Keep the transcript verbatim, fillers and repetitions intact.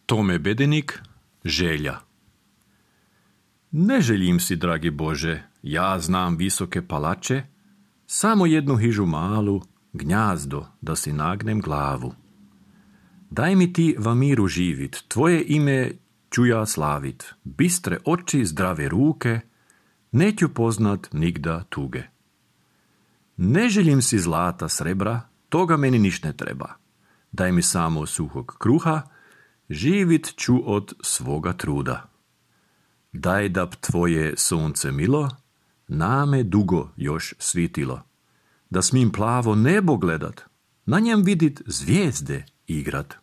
Tome Bedenik, želja. Ne želim si, dragi Bože, ja znam visoke palače, samo jednu hižu malu, gnjazdo, da si nagnem glavu. Daj mi ti va miru živit, tvoje ime ću ja slavit, bistre oči, zdrave ruke, neću poznat nigda tuge. Ne želim si zlata, srebra, toga meni niš ne treba. Daj mi samo suhog kruha, živit ću od svoga truda. Daj da tvoje sunce milo, name dugo još svitilo. Da smim plavo nebo gledat, na njem vidit zvijezde igrat.